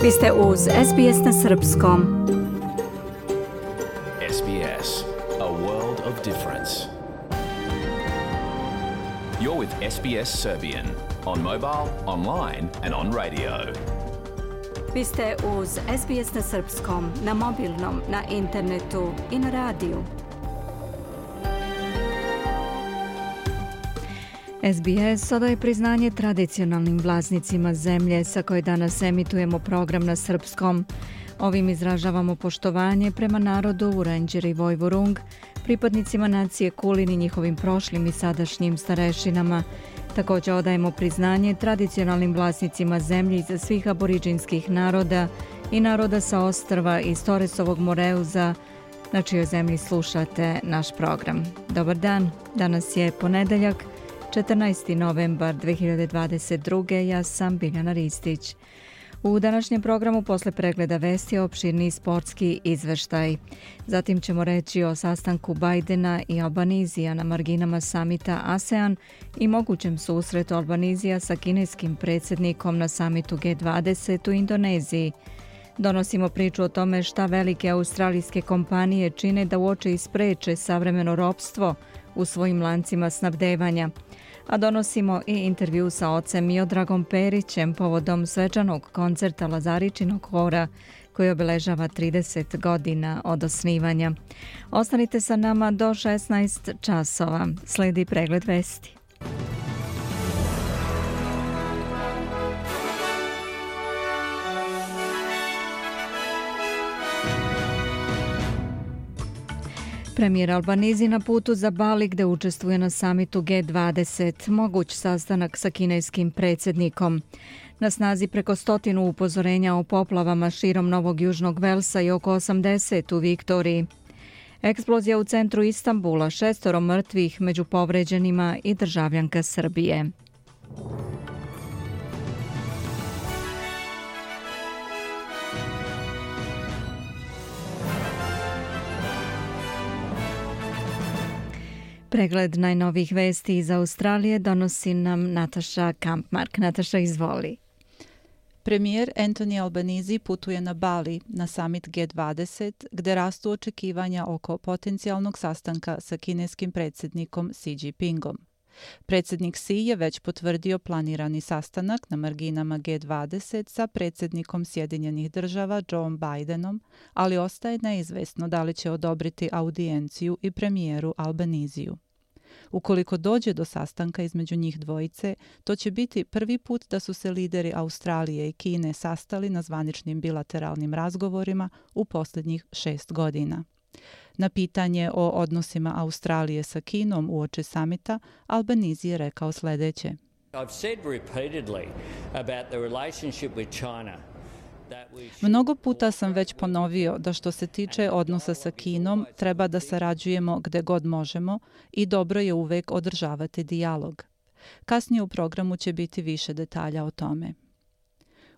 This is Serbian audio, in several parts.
Vi ste uz SBS na srpskom. SBS, a world of difference. You're with SBS Serbian on mobile, online and on radio. Vi ste uz SBS na srpskom, na mobilnom, na internetu i na radiju. SBS odaje priznanje tradicionalnim vlasnicima zemlje sa koje danas emitujemo program na srpskom. Ovim izražavamo poštovanje prema narodu Vurenđer i Vojvorung, pripadnicima nacije Kulin i njihovim prošlim i sadašnjim starešinama. Također odajemo priznanje tradicionalnim vlasnicima zemlje iza svih aboriđinskih naroda i naroda sa ostrva iz Toresovog Moreuza, na čijoj zemlji slušate naš program. Dobar dan, danas je ponedeljak, 14. novembar 2022. Ja sam Biljana Ristić. U današnjem programu posle pregleda vesti opširni sportski izveštaj. Zatim ćemo reći o sastanku Bajdena i Albanizija na marginama samita ASEAN i mogućem susretu Albanizija sa kineskim predsjednikom na samitu G20 u Indoneziji. Donosimo priču o tome šta velike australijske kompanije čine da uoče i spreče savremeno ropstvo u svojim lancima snabdevanja. A donosimo i intervju sa ocem Miodragom Perićem povodom svečanog koncerta Lazaričinog hora koji obeležava 30 godina od osnivanja. Ostanite sa nama do 16 časova. Slijedi pregled vesti. Premijer Albanizi na putu za Bali gde učestvuje na samitu G20, moguć sastanak sa kineskim predsjednikom. Na snazi preko 100 upozorenja o poplavama širom Novog Južnog Velsa i oko 80 u Viktoriji. Eksplozija u centru Istanbula, 6 mrtvih među povređenima i državljanka Srbije. Pregled najnovijih vesti iz Australije donosi nam Nataša Kampmark. Nataša, izvoli. Premijer Anthony Albanese putuje na Bali na summit G20 gde rastu očekivanja oko potencijalnog sastanka sa kineskim predsjednikom Xi Jinpingom. Predsjednik Xi je već potvrdio planirani sastanak na marginama G20 sa predsjednikom Sjedinjenih država Joe Bidenom, ali ostaje neizvesno da li će odobriti audijenciju i premijeru Albaniziju. Ukoliko dođe do sastanka između njih dvojice, to će biti prvi put da su se lideri Australije i Kine sastali na zvaničnim bilateralnim razgovorima u posljednjih 6 godina. Na pitanje o odnosima Australije sa Kinom uoči samita, Albanese je rekao sljedeće. Mnogo puta sam već ponovio da što se tiče odnosa sa Kinom, treba da sarađujemo gde god možemo i dobro je uvek održavati dijalog. Kasnije u programu će biti više detalja o tome.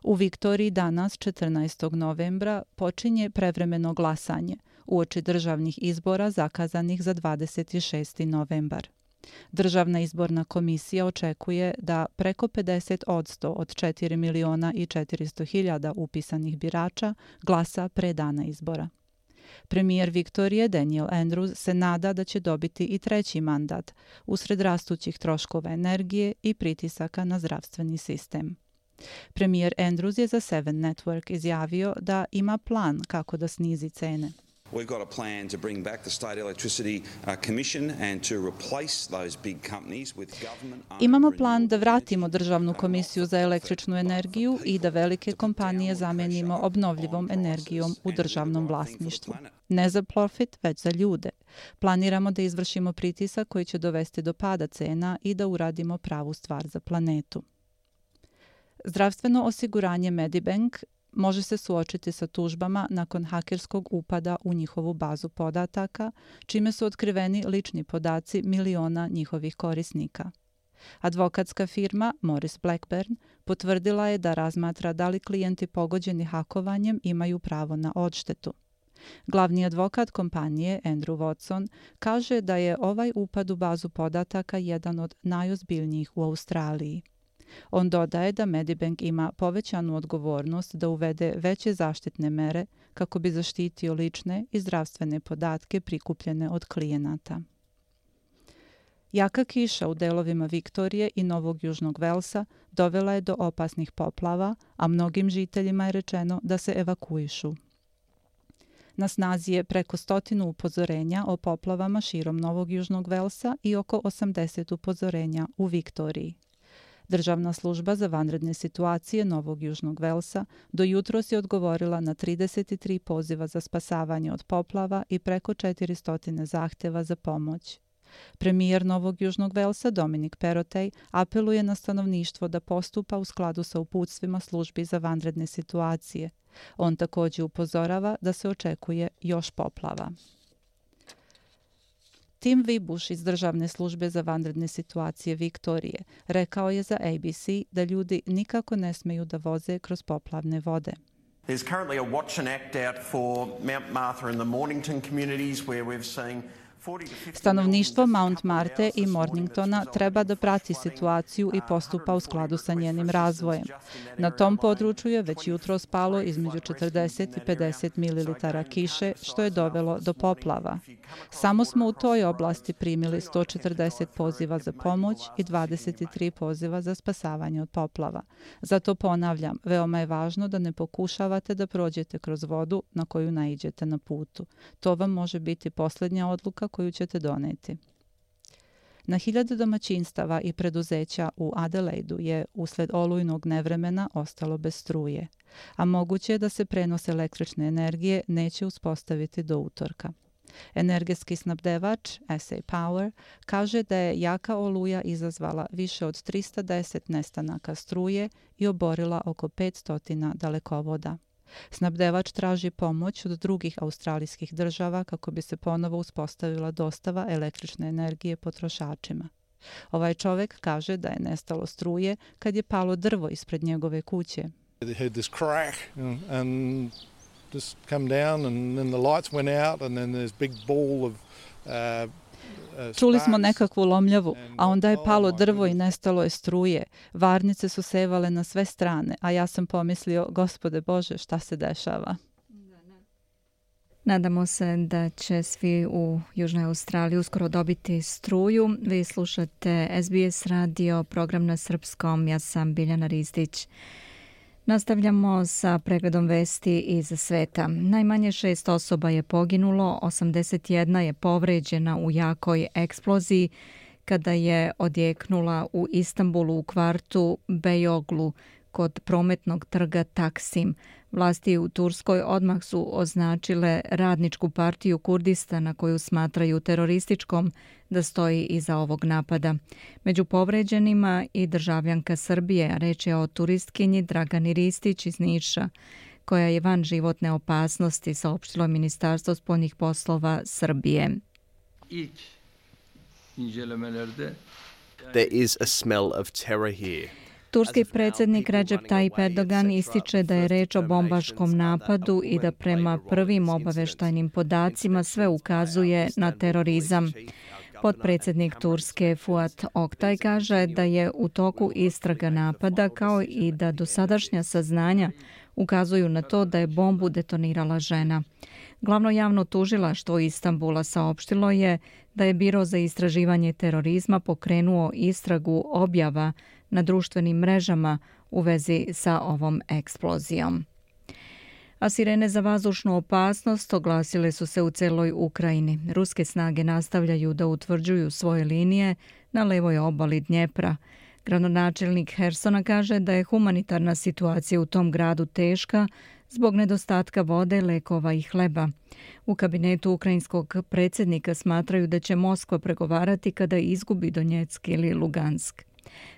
U Viktoriji danas, 14. novembra, počinje prevremeno glasanje uoči državnih izbora zakazanih za 26. novembar. Državna izborna komisija očekuje da preko 50% od 4.400.000 upisanih birača glasa pre dana izbora. Premijer Viktorije Daniel Andrews se nada da će dobiti i treći mandat usred rastućih troškova energije i pritisaka na zdravstveni sistem. Premijer Andrews je za Seven Network izjavio da ima plan kako da snizi cene. We've got a plan to bring back the State Electricity Commission and to replace those big companies with government. Imamo plan da vratimo Državnu komisiju za električnu energiju i da velike kompanije zamenimo obnovljivom energijom u državnom vlasništvu. Ne za profit, već za ljude. Planiramo da izvršimo pritisak koji će dovesti do pada cena i da uradimo pravu stvar za planetu. Zdravstveno osiguranje Medibank može se suočiti sa tužbama nakon hakerskog upada u njihovu bazu podataka, čime su otkriveni lični podaci miliona njihovih korisnika. Advokatska firma Morris Blackburn potvrdila je da razmatra da li klijenti pogođeni hakovanjem imaju pravo na odštetu. Glavni advokat kompanije Andrew Watson kaže da je ovaj upad u bazu podataka jedan od najozbiljnijih u Australiji. On dodaje da Medibank ima povećanu odgovornost da uvede veće zaštitne mere kako bi zaštitio lične i zdravstvene podatke prikupljene od klijenata. Jaka kiša u delovima Viktorije i Novog Južnog Velsa dovela je do opasnih poplava, a mnogim žiteljima je rečeno da se evakuišu. Na snazi je preko 100 upozorenja o poplavama širom Novog Južnog Velsa i oko 80 upozorenja u Viktoriji. Državna služba za vanredne situacije Novog Južnog Velsa do jutros je odgovorila na 33 poziva za spasavanje od poplava i preko 400 zahteva za pomoć. Premijer Novog Južnog Velsa Dominic Perrottet apeluje na stanovništvo da postupa u skladu sa uputstvima službi za vanredne situacije. On također upozorava da se očekuje još poplava. Tim Vibuš iz Državne službe za vanredne situacije Viktorije rekao je za ABC da ljudi nikako ne smeju da voze kroz poplavne vode. There's currently a watch and act out for Mount Martha and the Mornington communities where we've seen Stanovništvo Mount Marte i Morningtona treba da prati situaciju i postupa u skladu sa njenim razvojem. Na tom području je već jutro spalo između 40 i 50 ml kiše, što je dovelo do poplava. Samo smo u toj oblasti primili 140 poziva za pomoć i 23 poziva za spasavanje od poplava. Zato ponavljam, veoma je važno da ne pokušavate da prođete kroz vodu na koju naiđete na putu. To vam može biti posljednja odluka koju ćete doneti. Na 1000 domaćinstava i preduzeća u Adelaidu je usled olujnog nevremena ostalo bez struje, a moguće je da se prenos električne energije neće uspostaviti do utorka. Energetski snabdevač SA Power kaže da je jaka oluja izazvala više od 310 nestanaka struje i oborila oko 500 dalekovoda. Snabdevač traži pomoć od drugih australijskih država kako bi se ponovo uspostavila dostava električne energije potrošačima. Ovaj čovjek kaže da je nestalo struje kad je palo drvo ispred njegove kuće. Čuli smo nekakvu lomljavu, a onda je palo drvo i nestalo je struje. Varnice su sevale na sve strane, a ja sam pomislio, Gospode Bože, šta se dešava? Nadamo se da će svi u Južnoj Australiji uskoro dobiti struju. Vi slušate SBS radio, program na srpskom. Ja sam Biljana Rizdić. Nastavljamo sa pregledom vesti iz sveta. Najmanje 6 osoba je poginulo, 81 je povređena u jakoj eksploziji kada je odjeknula u Istanbulu u kvartu Beyoglu kod prometnog trga Taksim. Vlasti u Turskoj odmah su označile Radničku partiju Kurdistana koju smatraju terorističkom da stoji iza ovog napada. Među povređenima i državljanka Srbije, a reč je o turistkinji Dragani Ristić iz Niša, koja je van životne opasnosti, saopštilo Ministarstvo spoljnih poslova Srbije. There is a smell of terror here. Turski predsjednik Recep Tayyip Erdogan ističe da je reč o bombaškom napadu i da prema prvim obaveštajnim podacima sve ukazuje na terorizam. Potpredsjednik Turske Fuat Oktay kaže da je u toku istraga napada kao i da dosadašnja saznanja ukazuju na to da je bombu detonirala žena. Glavno javno tužilaštvo Istanbula saopštilo je da je Biro za istraživanje terorizma pokrenuo istragu objava na društvenim mrežama u vezi sa ovom eksplozijom. A sirene za vazdušnu opasnost oglasile su se u celoj Ukrajini. Ruske snage nastavljaju da utvrđuju svoje linije na levoj obali Dnjepra. Gradonačelnik Hersona kaže da je humanitarna situacija u tom gradu teška zbog nedostatka vode, lekova i hleba. U kabinetu ukrajinskog predsjednika smatraju da će Moskva pregovarati kada izgubi Donjeck ili Lugansk.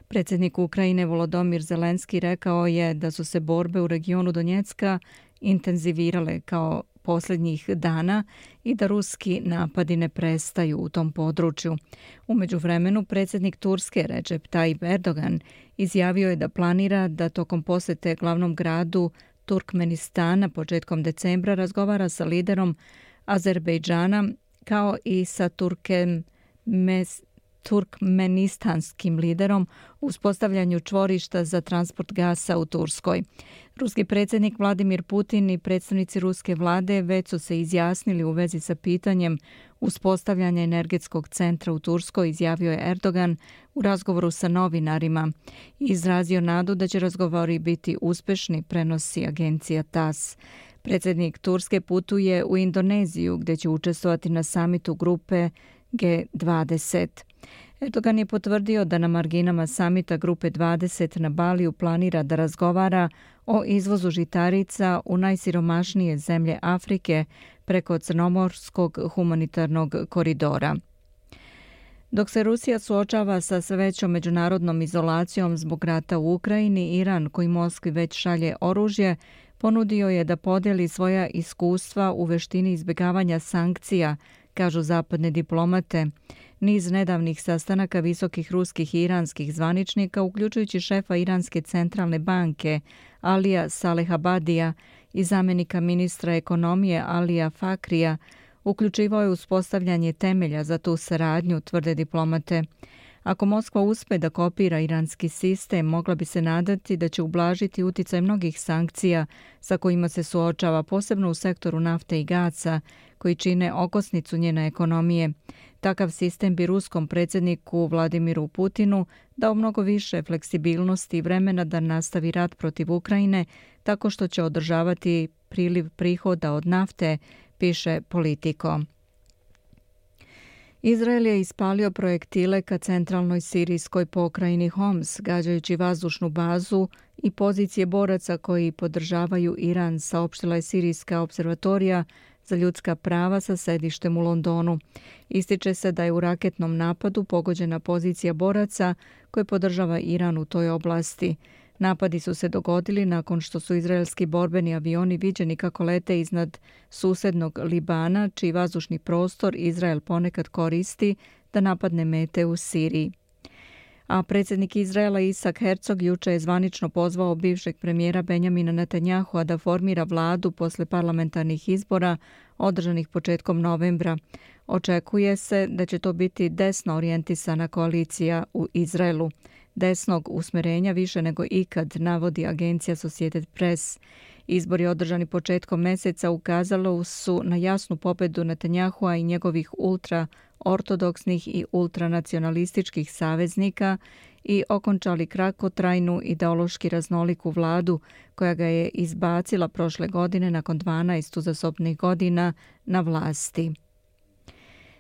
Predsjednik Ukrajine Volodymyr Zelenski rekao je da su se borbe u regionu Donjecka intenzivirale kao posljednjih dana i da ruski napadi ne prestaju u tom području. U međuvremenu predsjednik Turske Recep Tayyip Erdogan izjavio je da planira da tokom posjete glavnom gradu Turkmenistana početkom decembra razgovara sa turkmenistanskim liderom u uspostavljanju čvorišta za transport gasa u Turskoj. Ruski predsjednik Vladimir Putin i predstavnici ruske vlade već su se izjasnili u vezi sa pitanjem uspostavljanja energetskog centra u Turskoj, izjavio je Erdogan u razgovoru sa novinarima i izrazio nadu da će razgovori biti uspešni, prenosi agencija TASS. Predsjednik Turske putuje u Indoneziju gdje će učestvovati na samitu grupe G20. Erdogan je potvrdio da na marginama samita grupe 20 na Baliju planira da razgovara o izvozu žitarica u najsiromašnije zemlje Afrike preko Crnomorskog humanitarnog koridora. Dok se Rusija suočava sa sve većom međunarodnom izolacijom zbog rata u Ukrajini, Iran, koji Moskvi već šalje oružje, ponudio je da podijeli svoja iskustva u veštini izbjegavanja sankcija, kažu zapadne diplomate. Niz nedavnih sastanaka visokih ruskih i iranskih zvaničnika, uključujući šefa Iranske centralne banke Alija Salehabadija i zamjenika ministra ekonomije Alija Fakrija, uključivao je uspostavljanje temelja za tu saradnju, tvrde diplomate. Ako Moskva uspe da kopira iranski sistem, mogla bi se nadati da će ublažiti uticaj mnogih sankcija sa kojima se suočava, posebno u sektoru nafte i gasa, koji čine okosnicu njene ekonomije. Takav sistem bi ruskom predsjedniku Vladimiru Putinu dao mnogo više fleksibilnosti i vremena da nastavi rat protiv Ukrajine, tako što će održavati priliv prihoda od nafte, piše Politico. Izrael je ispalio projektile ka centralnoj sirijskoj pokrajini Homs, gađajući vazdušnu bazu i pozicije boraca koji podržavaju Iran, saopštila je Sirijska observatorija za ljudska prava sa sedištem u Londonu. Ističe se da je u raketnom napadu pogođena pozicija boraca koje podržava Iran u toj oblasti. Napadi su se dogodili nakon što su izraelski borbeni avioni viđeni kako lete iznad susednog Libana, čiji vazdušni prostor Izrael ponekad koristi da napadne mete u Siriji. A predsjednik Izraela Isak Herzog juče je zvanično pozvao bivšeg premijera Benjamina Netanyahua da formira vladu posle parlamentarnih izbora održanih početkom novembra. Očekuje se da će to biti desno orijentisana koalicija u Izraelu. Desnog usmerenja više nego ikad, navodi agencija Associated Press. Izbori održani početkom mjeseca ukazalo su na jasnu pobedu Netanyahua i njegovih ultraortodoksnih i ultranacionalističkih saveznika i okončali kratkotrajnu ideološki raznoliku vladu koja ga je izbacila prošle godine nakon 12 uzastopnih godina na vlasti.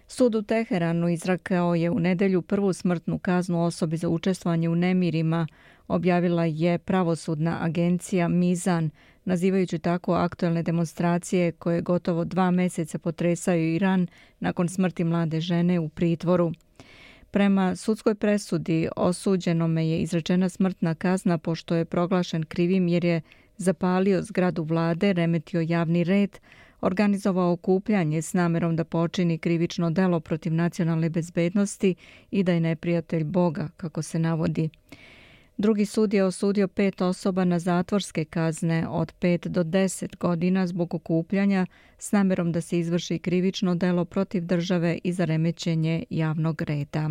Sud u Teheranu izrekao je u nedjelju prvu smrtnu kaznu osobi za učestvovanje u nemirima, objavila je pravosudna agencija Mizan, nazivajući tako aktuelne demonstracije koje gotovo 2 mjeseca potresaju Iran nakon smrti mlade žene u pritvoru. Prema sudskoj presudi osuđenome je izrečena smrtna kazna pošto je proglašen krivim jer je zapalio zgradu vlade, remetio javni red, organizovao okupljanje s namjerom da počini krivično delo protiv nacionalne bezbednosti i da je neprijatelj Boga, kako se navodi. Drugi sud je osudio 5 osoba na zatvorske kazne od 5 do 10 godina zbog okupljanja s namjerom da se izvrši krivično delo protiv države i za remećenje javnog reda.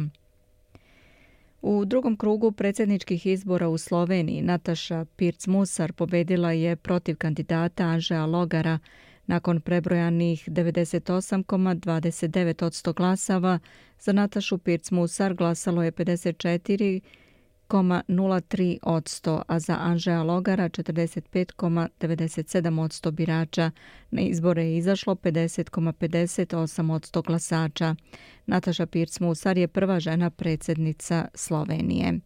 U drugom krugu predsjedničkih izbora u Sloveniji Nataša Pirc-Musar pobedila je protiv kandidata Anžeja Logara. Nakon prebrojanih 98,29% glasava, za Natašu Pirc-Musar glasalo je 54,03%, a za Anžeja Logara 45,97% birača. Na izbore je izašlo 50,58% glasača. Nataša Pirc-Musar je prva žena predsjednica Slovenije.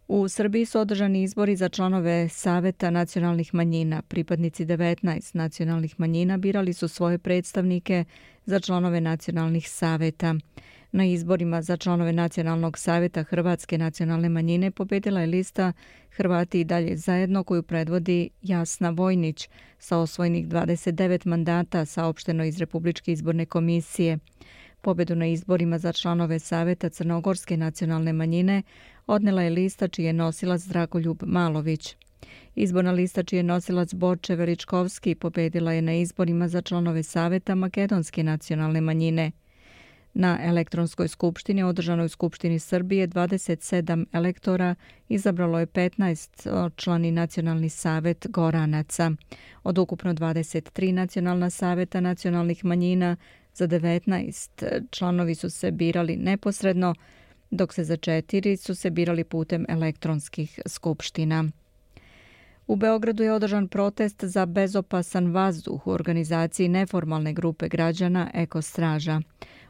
U Srbiji su održani izbori za članove Saveta nacionalnih manjina. Pripadnici 19 nacionalnih manjina birali su svoje predstavnike za članove nacionalnih saveta. Na izborima za članove Nacionalnog saveta Hrvatske nacionalne manjine pobedila je lista Hrvati i dalje zajedno koju predvodi Jasna Vojnić sa osvojenih 29 mandata, saopšteno iz Republičke izborne komisije. Pobedu na izborima za članove Saveta Crnogorske nacionalne manjine odnela je lista čiji je nosilac Dragoljub Malović. Izborna lista čiji je nosilac Borče Veličkovski pobedila je na izborima za članove Saveta Makedonske nacionalne manjine. Na elektronskoj skupštini održanoj u Skupštini Srbije 27 elektora izabralo je 15-člani Nacionalni savet Goranaca. Od ukupno 23 nacionalna saveta nacionalnih manjina, za 19 članovi su se birali neposredno, dok se za 4 su se birali putem elektronskih skupština. U Beogradu je održan protest za bezopasan vazduh u organizaciji neformalne grupe građana Eko Straža.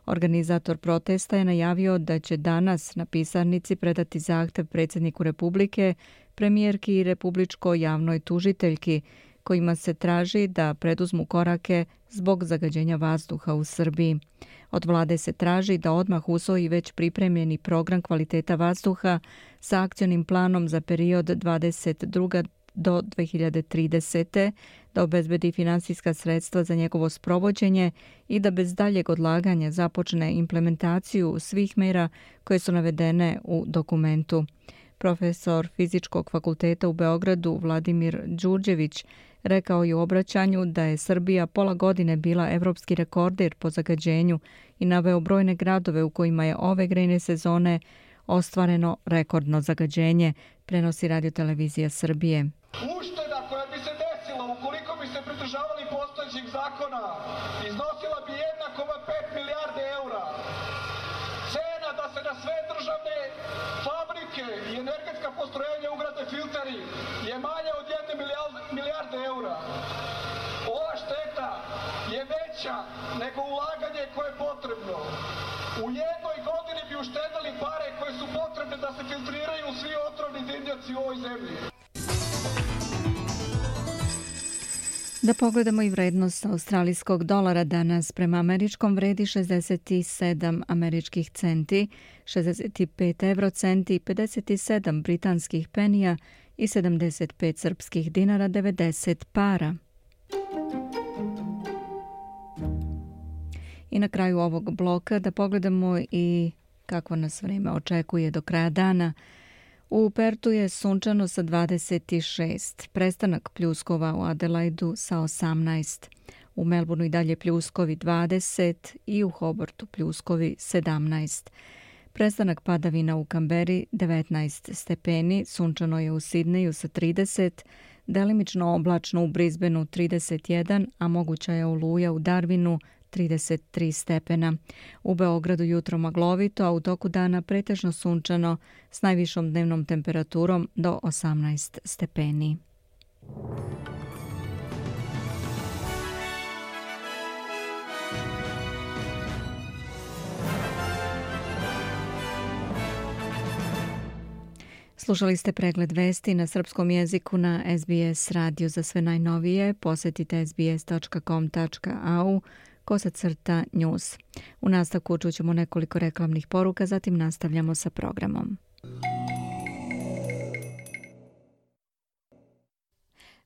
Organizator protesta je najavio da će danas na pisarnici predati zahtev predsjedniku Republike, premijerki i republičkoj javnoj tužiteljki, kojima se traži da preduzmu korake zbog zagađenja vazduha u Srbiji. Od vlade se traži da odmah usvoji već pripremljeni program kvaliteta vazduha sa akcionim planom za period 22. do 2030. da obezbedi finansijska sredstva za njegovo sprovođenje i da bez daljeg odlaganja započne implementaciju svih mera koje su navedene u dokumentu. Profesor Fizičkog fakulteta u Beogradu Vladimir Đurđević rekao je u obraćanju da je Srbija pola godine bila evropski rekorder po zagađenju i naveo brojne gradove u kojima je ove grejne sezone ostvareno rekordno zagađenje, prenosi Radiotelevizija Srbije. Ušteda koja bi se desila ukoliko bi se pridržavali postojećih zakona iznosila bi 1,5 milijarde eura. Cena da se na sve državne fabrike i energetska postrojenja ugrade filteri je manja od 1 milijarde eura. Ova šteta je veća nego ulaganje koje je potrebno. U jednoj godini bi uštedali pare koje su potrebne da se filtriraju svi otrovni dimnjaci u ovoj zemlji. Da pogledamo i vrednost australijskog dolara danas. Prema američkom vredi 67 američkih centi, 65 eurocenti, 57 britanskih penija i 75 srpskih dinara 90 para. I na kraju ovog bloka da pogledamo i kako nas vreme očekuje do kraja dana. U Pertu je sunčano sa 26, prestanak pljuskova u Adelaidu sa 18, u Melbourneu i dalje pljuskovi 20 i u Hobartu pljuskovi 17. Prestanak padavina u Kamberi 19 stepeni, sunčano je u Sidneju sa 30, delimično oblačno u Brisbaneu 31, a moguća je oluja u Darwinu 33 stepena. U Beogradu jutro maglovito, a u toku dana pretežno sunčano s najvišom dnevnom temperaturom do 18 stepeni. Slušali ste pregled vesti na srpskom jeziku na SBS radio. Za sve najnovije posjetite sbs.com.au/news. U nastavku čućemo nekoliko reklamnih poruka, zatim nastavljamo sa programom.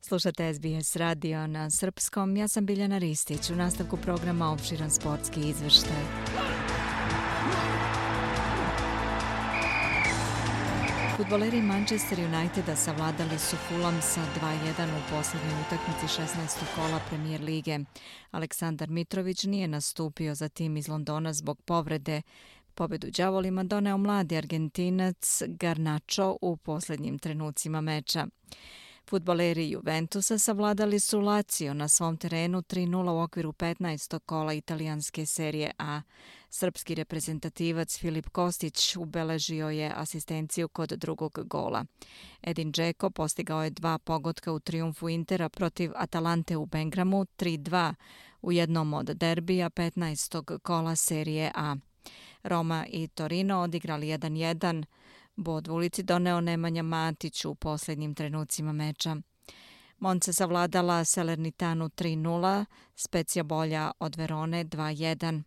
Slušate SBS radio na srpskom. Ja sam Biljana Ristić. U nastavku programa opširan sportski izveštaj. Fudbaleri Manchester Uniteda savladali su Fulham sa 2:1 u posljednjoj utakmici 16. kola Premier lige. Aleksandar Mitrović nije nastupio za tim iz Londona zbog povrede. Pobedu đavolima doneo mladi Argentinac Garnacho u posljednjim trenucima meča. Fudbaleri Juventusa savladali su Lazio na svom terenu 3:0 u okviru 15. kola italijanske serije A. Srpski reprezentativac Filip Kostić ubeležio je asistenciju kod drugog gola. Edin Dzeko postigao je 2 pogotka u trijumfu Intera protiv Atalante u Bengramu 3:2 u jednom od derbija 15. kola serije A. Roma i Torino odigrali 1:1. Bod u ulici doneo Nemanja Matić u posljednjim trenucima meča. Monza savladala Salernitanu 3:0, Spezia bolja od Verone 2:1.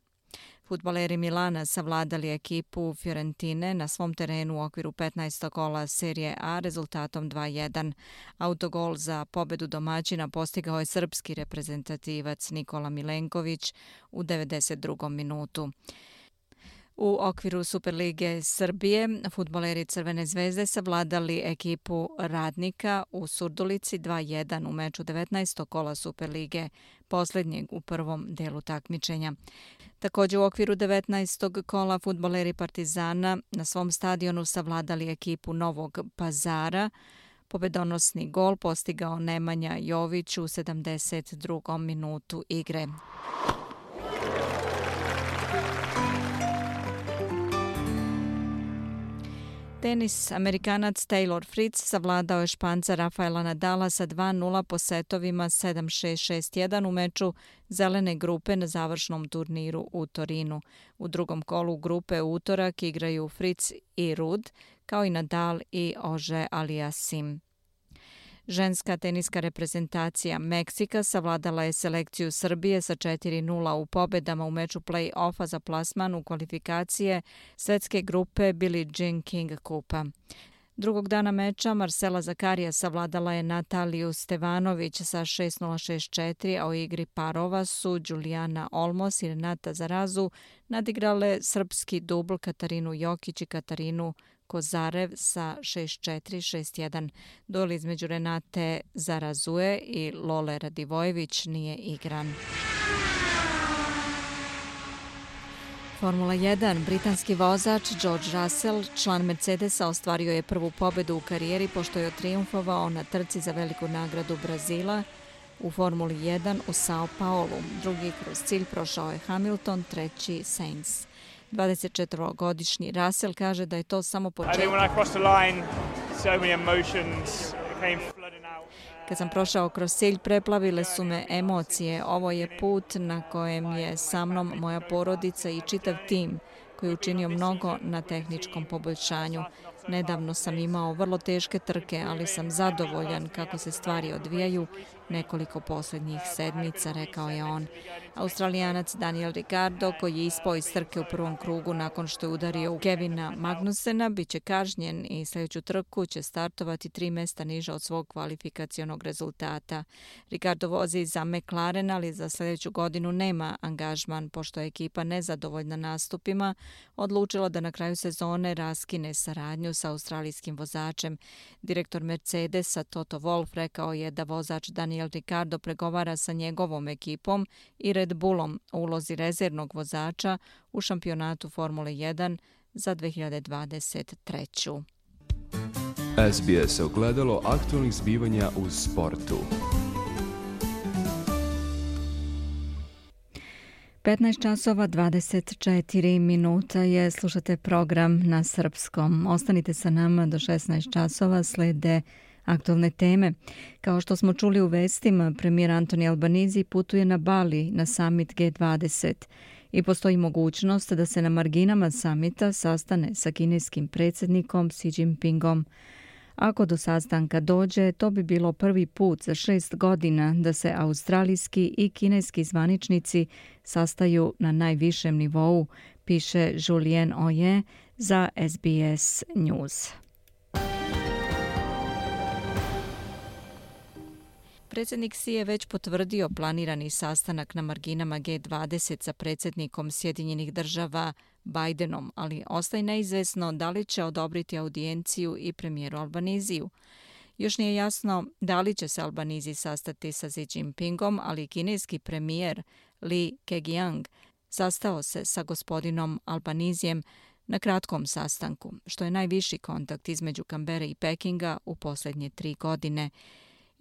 Fudbaleri Milana savladali ekipu Fiorentine na svom terenu u okviru 15. kola serije A rezultatom 2:1. Autogol za pobedu domaćina postigao je srpski reprezentativac Nikola Milenković u 92. minutu. U okviru Superlige Srbije, fudbaleri Crvene zvezde savladali ekipu Radnika u Surdulici 2-1 u meču 19. kola Superlige, posljednjeg u prvom delu takmičenja. Također u okviru 19. kola fudbaleri Partizana na svom stadionu savladali ekipu Novog Pazara. Pobedonosni gol postigao Nemanja Jović u 72. minutu igre. Tenis, Amerikanac Taylor Fritz savladao je Španca Rafaela Nadala sa 2-0 po setovima 7-6, 6-1 u meču zelene grupe na završnom turniru u Torinu. U drugom kolu grupe u utorak igraju Fritz i Ruud, kao i Nadal i Ože Aliassim. Ženska teniska reprezentacija Meksika savladala je selekciju Srbije sa 4-0 u pobedama u meču play-offa za plasman u kvalifikacije svetske grupe Billie Jean King Kupa. Drugog dana meča Marcela Zakarija savladala je Nataliju Stevanović sa 6-0, 6-4, a u igri parova su Julijana Olmos i Renata Zarazu nadigrale srpski dubl Katarinu Jokić i Katarinu Kozarev sa 6-4, 6-1. Duel između Renate Zarazue i Lole Radivojević nije igran. Formula 1. Britanski vozač George Russell, član Mercedesa, ostvario je prvu pobedu u karijeri pošto je trijumfovao na trci za veliku nagradu Brazila u Formuli 1 u Sao Paulu. Drugi kroz cilj prošao je Hamilton, treći Sainz. 24-godišnji Russell kaže da je to samo početak. Kad sam prošao kroz cilj, preplavile su me emocije. Ovo je put na kojem je sa mnom moja porodica i čitav tim koji je učinio mnogo na tehničkom poboljšanju. Nedavno sam imao vrlo teške trke, ali sam zadovoljan kako se stvari odvijaju nekoliko posljednjih sedmica, rekao je on. Australijanac Daniel Ricciardo, koji je ispao iz trke u prvom krugu nakon što je udario u Kevina Magnusena, bit će kažnjen i sljedeću trku će startovati 3 mjesta niže od svog kvalifikacionog rezultata. Ricciardo vozi za McLaren, ali za sljedeću godinu nema angažman, pošto je ekipa nezadovoljna nastupima, odlučila da na kraju sezone raskine saradnju sa australijskim vozačem. Direktor Mercedesa Toto Wolff rekao je da vozač Daniel Ricciardo pregovara sa njegovom ekipom i Red Bullom u ulozi rezervnog vozača u šampionatu Formule 1 za 2023. SBS ogledalo aktualnih zbivanja u sportu. 15 časova 24 minuta je, slušate program na srpskom. Ostanite sa nama do 16 časova, slede aktualne teme. Kao što smo čuli u vestima, premijer Antoni Albanizi putuje na Bali na summit G20 i postoji mogućnost da se na marginama samita sastane sa kineskim predsjednikom Xi Jinpingom. Ako do sastanka dođe, to bi bilo prvi put za 6 godina da se australijski i kineski zvaničnici sastaju na najvišem nivou, piše Julien Oye za SBS News. Predsjednik Xi je već potvrdio planirani sastanak na marginama G20 sa predsjednikom Sjedinjenih država Bidenom, ali ostaje neizvesno da li će odobriti audijenciju i premijeru Albaniziju. Još nije jasno da li će se Albanizi sastati sa Xi Jinpingom, ali kineski premijer Li Keqiang sastao se sa gospodinom Albanizijem na kratkom sastanku, što je najviši kontakt između Kambere i Pekinga u posljednje 3 godine.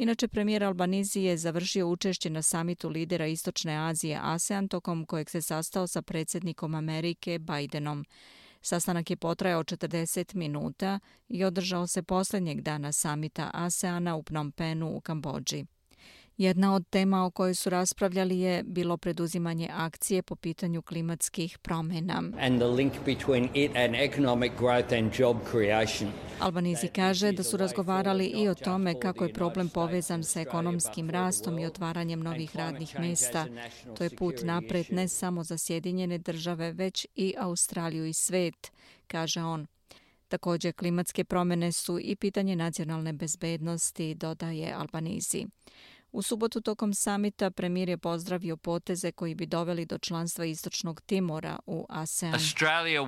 Inače, premijer Albanizi je završio učešće na samitu lidera Istočne Azije ASEAN, tokom kojeg se sastao sa predsjednikom Amerike Bidenom. Sastanak je potrajao 40 minuta i održao se posljednjeg dana samita ASEANA u Phnom Penhu u Kambodži. Jedna od tema o kojoj su raspravljali je bilo preduzimanje akcije po pitanju klimatskih promjena. Albanizi kaže da su razgovarali i o tome kako je problem povezan sa ekonomskim rastom i otvaranjem novih radnih mjesta. To je put napred ne samo za Sjedinjene države, već i Australiju i svet, kaže on. Također, klimatske promjene su i pitanje nacionalne bezbednosti, dodaje Albanizi. U subotu tokom samita premijer je pozdravio poteze koji bi doveli do članstva Istočnog Timora u ASEAN. Australia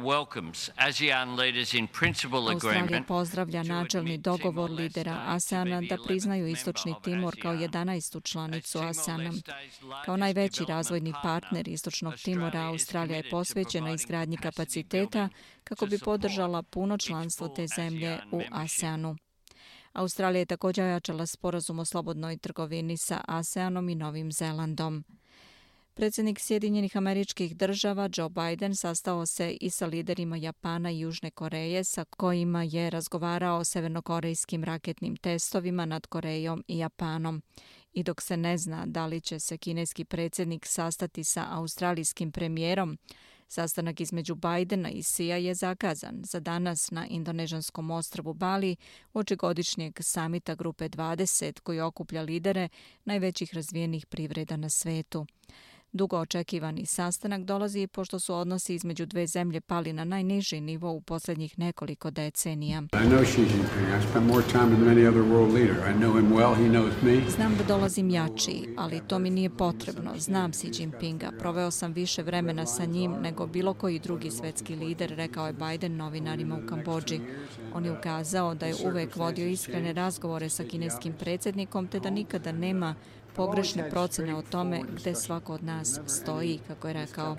pozdravlja načelni dogovor lidera ASEANA da priznaju Istočni Timor kao 11. članicu ASEANA. Kao najveći razvojni partner Istočnog Timora, Australija je posvećena izgradnji kapaciteta kako bi podržala puno članstvo te zemlje u ASEANu. Australija je također ojačala sporazum o slobodnoj trgovini sa ASEANom i Novim Zelandom. Predsjednik Sjedinjenih Američkih Država Joe Biden sastao se i sa liderima Japana i Južne Koreje sa kojima je razgovarao o severnokorejskim raketnim testovima nad Korejom i Japanom. I dok se ne zna da li će se kineski predsjednik sastati sa australijskim premijerom, sastanak između Bidena i Xija je zakazan za danas na indonežanskom ostrvu Bali uoči godišnjeg samita Grupe 20 koji okuplja lidere najvećih razvijenih privreda na svetu. Dugo očekivani sastanak dolazi pošto su odnosi između dve zemlje pali na najniži nivo u posljednjih nekoliko decenija. Znam da dolazim jači, ali to mi nije potrebno. Znam Xi Jinpinga. Proveo sam više vremena sa njim nego bilo koji drugi svetski lider, rekao je Biden novinarima u Kambodži. On je ukazao da je uvek vodio iskrene razgovore sa kineskim predsjednikom te da nikada nema pogrešne procene o tome gde svako od nas stoji, kako je rekao.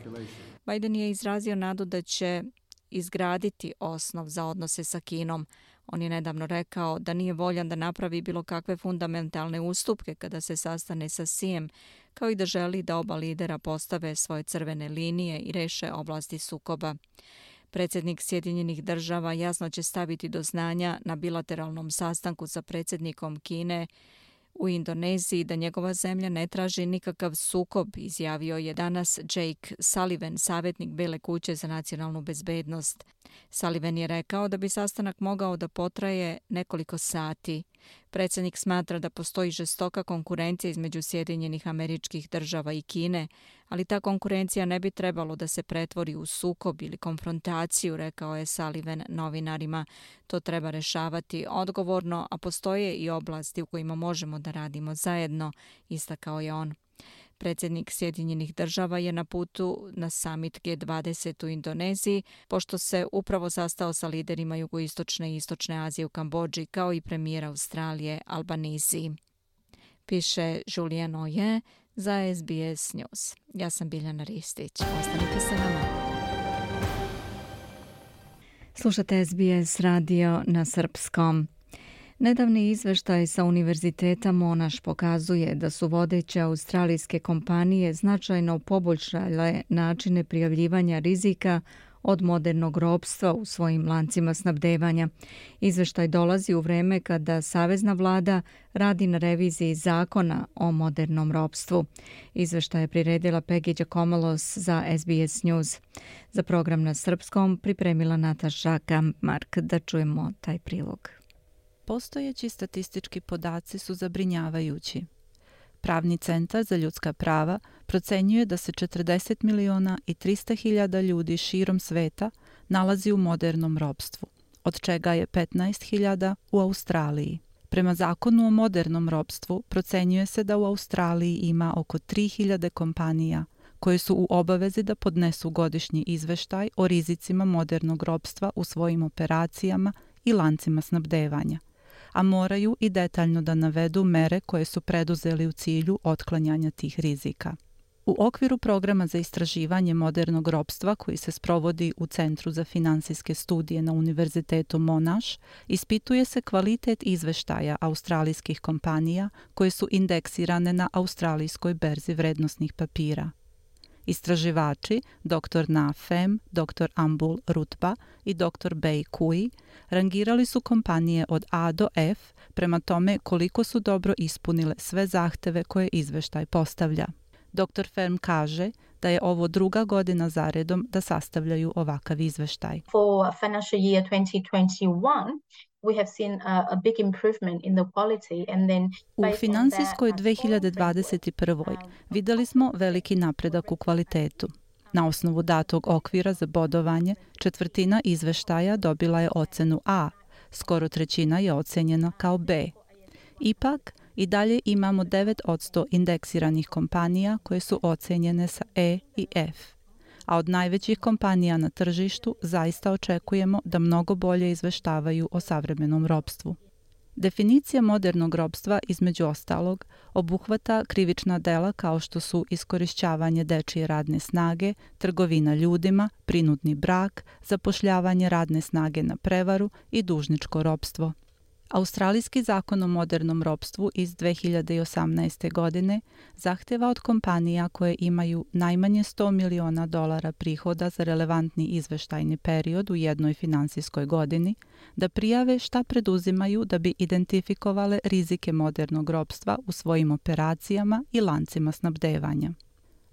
Biden je izrazio nadu da će izgraditi osnov za odnose sa Kinom. On je nedavno rekao da nije voljan da napravi bilo kakve fundamentalne ustupke kada se sastane sa Xijem, kao i da želi da oba lidera postave svoje crvene linije i reše oblasti sukoba. Predsjednik Sjedinjenih Država jasno će staviti do znanja na bilateralnom sastanku sa predsjednikom Kine u Indoneziji da njegova zemlja ne traži nikakav sukob, izjavio je danas Jake Sullivan, savjetnik Bele kuće za nacionalnu bezbednost. Sullivan je rekao da bi sastanak mogao da potraje nekoliko sati. Predsjednik smatra da postoji žestoka konkurencija između Sjedinjenih Američkih Država i Kine, ali ta konkurencija ne bi trebalo da se pretvori u sukob ili konfrontaciju, rekao je Sullivan novinarima. To treba rešavati odgovorno, a postoje i oblasti u kojima možemo da radimo zajedno, istakao je on. Predsjednik Sjedinjenih Država je na putu na summit G20 u Indoneziji, pošto se upravo sastao sa liderima jugoistočne i istočne Azije u Kambodži, kao i premijer Australije Albanese. Piše Julien Oje za SBS News. Ja sam Biljana Ristić. Ostanite sa nama. Slušate SBS radio na srpskom. Nedavni izveštaj sa Univerziteta Monash pokazuje da su vodeće australijske kompanije značajno poboljšale načine prijavljivanja rizika od modernog ropstva u svojim lancima snabdevanja. Izveštaj dolazi u vreme kada Savezna vlada radi na reviziji zakona o modernom ropstvu. Izveštaj je priredila Peggy Giacomolos za SBS News. Za program na srpskom pripremila Nataša Kampmark. Da čujemo taj prilog. Postojeći statistički podaci su zabrinjavajući. Pravni centar za ljudska prava procenjuje da se 40 miliona i 300 hiljada ljudi širom sveta nalazi u modernom ropstvu, od čega je 15 hiljada u Australiji. Prema zakonu o modernom ropstvu procenjuje se da u Australiji ima oko 3000 kompanija koje su u obavezi da podnesu godišnji izveštaj o rizicima modernog ropstva u svojim operacijama i lancima snabdevanja, a moraju i detaljno da navedu mere koje su preduzeli u cilju otklanjanja tih rizika. U okviru programa za istraživanje modernog ropstva koji se sprovodi u Centru za finansijske studije na Univerzitetu Monash, ispituje se kvalitet izveštaja australijskih kompanija koje su indeksirane na australijskoj berzi vrednosnih papira. Istraživači, dr. Na Fem, dr. Ambul Rutba i dr. Bei Kui, rangirali su kompanije od A do F prema tome koliko su dobro ispunile sve zahteve koje izveštaj postavlja. Dr. Fem kaže da je ovo druga godina zaredom da sastavljaju ovakav izveštaj. For financial year 2021, we have seen a big improvement in the quality and then u finansijskoj 2021. Videli smo veliki napredak u kvalitetu. Na osnovu datog okvira za bodovanje, četvrtina izveštaja dobila je ocenu A, skoro trećina je ocenjena kao B. Ipak, i dalje imamo 9% indeksiranih kompanija koje su ocenjene sa E i F. A od najvećih kompanija na tržištu zaista očekujemo da mnogo bolje izveštavaju o savremenom ropstvu. Definicija modernog ropstva, između ostalog, obuhvata krivična dela kao što su iskorišćavanje dečije radne snage, trgovina ljudima, prinudni brak, zapošljavanje radne snage na prevaru i dužničko ropstvo. Australijski zakon o modernom ropstvu iz 2018. godine zahteva od kompanija koje imaju najmanje $100 miliona prihoda za relevantni izveštajni period u jednoj finansijskoj godini da prijave šta preduzimaju da bi identifikovale rizike modernog ropstva u svojim operacijama i lancima snabdevanja.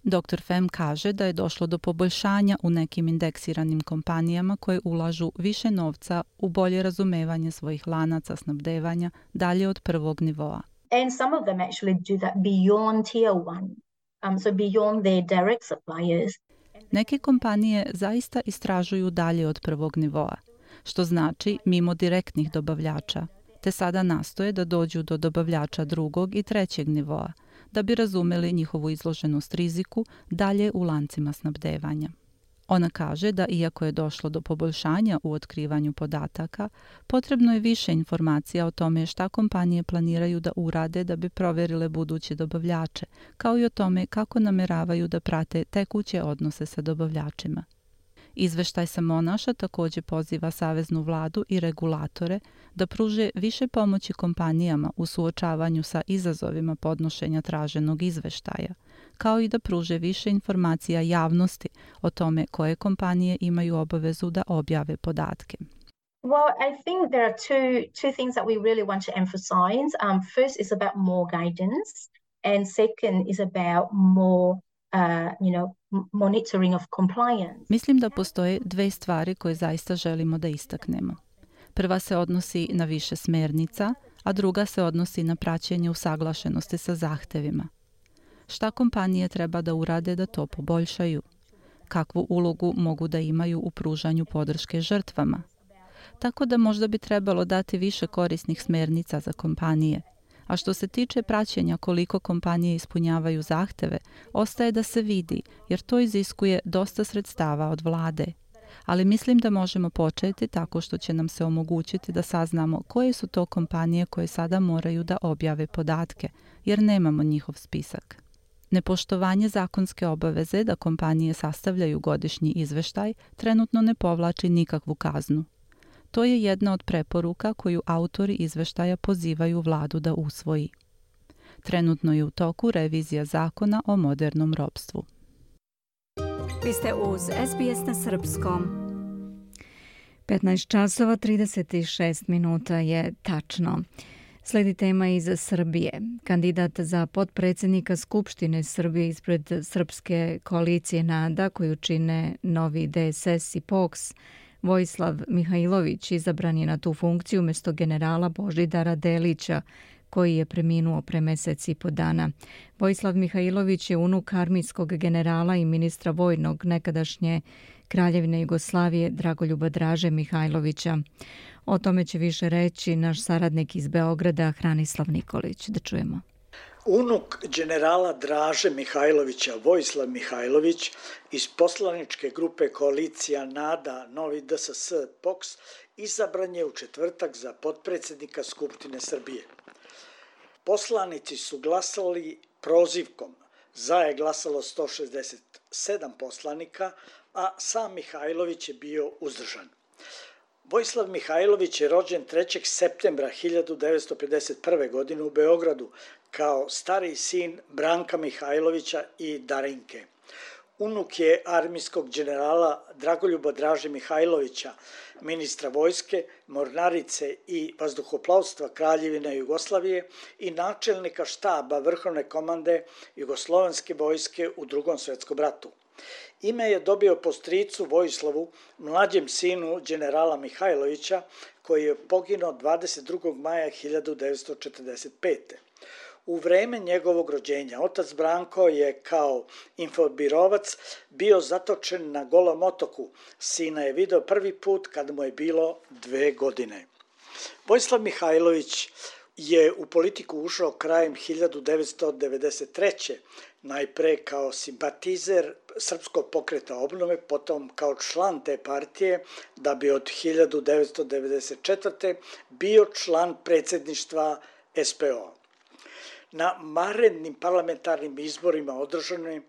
Dr. Pham kaže da je došlo do poboljšanja u nekim indeksiranim kompanijama koje ulažu više novca u bolje razumevanje svojih lanaca snabdevanja dalje od prvog nivoa. And some of them actually do that beyond tier 1, so beyond their direct suppliers. Neke kompanije zaista istražuju dalje od prvog nivoa, što znači mimo direktnih dobavljača, te sada nastoje da dođu do dobavljača drugog i trećeg nivoa, da bi razumeli njihovu izloženost riziku dalje u lancima snabdevanja. Ona kaže da iako je došlo do poboljšanja u otkrivanju podataka, potrebno je više informacija o tome šta kompanije planiraju da urade da bi proverile buduće dobavljače, kao i o tome kako nameravaju da prate tekuće odnose sa dobavljačima. Izveštaj sa Monaša također poziva saveznu vladu i regulatore da pruže više pomoći kompanijama u suočavanju sa izazovima podnošenja traženog izveštaja, kao i da pruže više informacija javnosti o tome koje kompanije imaju obavezu da objave podatke. Well, I think there are two things that we really want to emphasize. First is about more guidance, and second is about more monitoring of compliance. Mislim da postoje dve stvari koje zaista želimo da istaknemo. Prva se odnosi na više smernica, a druga se odnosi na praćenje usaglašenosti sa zahtevima. Šta kompanije treba da urade da to poboljšaju? Kakvu ulogu mogu da imaju u pružanju podrške žrtvama? Tako da možda bi trebalo dati više korisnih smernica za kompanije. A što se tiče praćenja koliko kompanije ispunjavaju zahteve, ostaje da se vidi, jer to iziskuje dosta sredstava od vlade. Ali mislim da možemo početi tako što će nam se omogućiti da saznamo koje su to kompanije koje sada moraju da objave podatke, jer nemamo njihov spisak. Nepoštovanje zakonske obaveze da kompanije sastavljaju godišnji izveštaj trenutno ne povlači nikakvu kaznu. To je jedna od preporuka koju autori izveštaja pozivaju vladu da usvoji. Trenutno je u toku revizija zakona o modernom ropstvu. Vi ste uz SBS na srpskom. 15 časova 36 minuta je tačno. Sledi tema iz Srbije. Kandidat za potpredsjednika Skupštine Srbije ispred Srpske koalicije NADA, koju čine Novi DSS i POKS, Vojislav Mihajlović izabran je na tu funkciju umjesto generala Božidara Delića, koji je preminuo pre mesec i po dana. Vojislav Mihajlović je unuk armijskog generala i ministra vojnog nekadašnje Kraljevine Jugoslavije Dragoljuba Draže Mihajlovića. O tome će više reći naš saradnik iz Beograda Hranislav Nikolić. Da čujemo. Unuk generala Draže Mihajlovića, Vojislav Mihajlović, iz poslaničke grupe koalicija NADA, Novi DSS, POKS, izabran je u četvrtak za potpredsjednika Skupštine Srbije. Poslanici su glasali prozivkom. Za je glasalo 167 poslanika, a sam Mihajlović je bio uzdržan. Vojislav Mihajlović je rođen 3. septembra 1951. godine u Beogradu kao stariji sin Branka Mihajlovića i Darinke. Unuk je armijskog generala Dragoljuba Draže Mihajlovića, ministra vojske, mornarice i vazduhoplovstva Kraljevine Jugoslavije i načelnika štaba Vrhovne komande Jugoslovenske vojske u Drugom svjetskom ratu. Ime je dobio po stricu Vojislavu, mlađem sinu generala Mihajlovića, koji je poginuo 22. maja 1945. U vreme njegovog rođenja otac Branko je kao infobirovac bio zatočen na Golom otoku. Sina je video prvi put kad mu je bilo 2 godine. Vojislav Mihajlović je u politiku ušao krajem 1993. najpre kao simpatizer Srpskog pokreta obnove, potom kao član te partije, da bi od 1994. bio član predsjedništva SPO. Na vanrednim parlamentarnim izborima održanim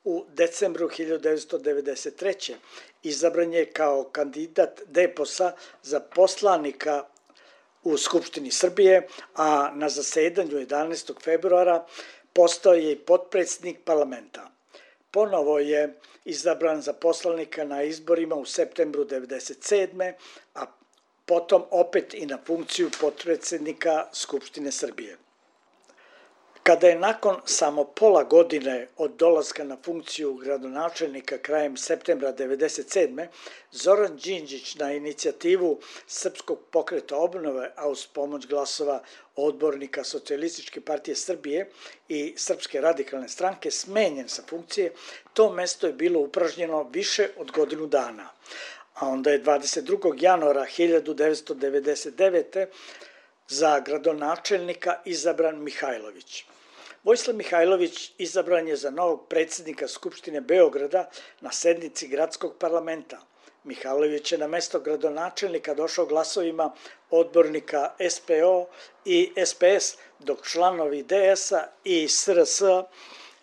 u decembru 1993. izabran je kao kandidat DPOS-a za poslanika u Skupštini Srbije, a na zasedanju 11. februara postao je i potpredsjednik parlamenta. Ponovo je izabran za poslanika na izborima u septembru 1997. a potom opet i na funkciju potpredsjednika Skupštine Srbije. Kada je nakon samo pola godine od dolaska na funkciju gradonačelnika krajem septembra 1997. Zoran Đinđić na inicijativu Srpskog pokreta obnove, a uz pomoć glasova odbornika Socijalističke partije Srbije i Srpske radikalne stranke smenjen sa funkcije, to mesto je bilo upražnjeno više od godinu dana. A onda je 22. januara 1999. za gradonačelnika izabran Mihajlović. Vojislav Mihajlović izabran je za novog predsjednika Skupštine Beograda na sednici gradskog parlamenta. Mihajlović je na mesto gradonačelnika došao glasovima odbornika SPO i SPS, dok članovi DS-a i SRS-a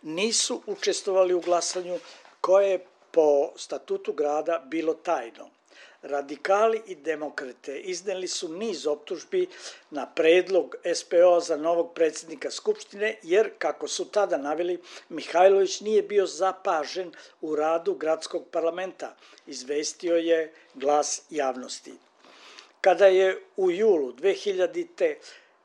nisu učestvovali u glasanju koje je po statutu grada bilo tajno. Radikali i demokrate izneli su niz optužbi na predlog SPO za novog predsjednika Skupštine, jer, kako su tada naveli, Mihajlović nije bio zapažen u radu gradskog parlamenta, izvestio je Glas javnosti. Kada je u julu 2000.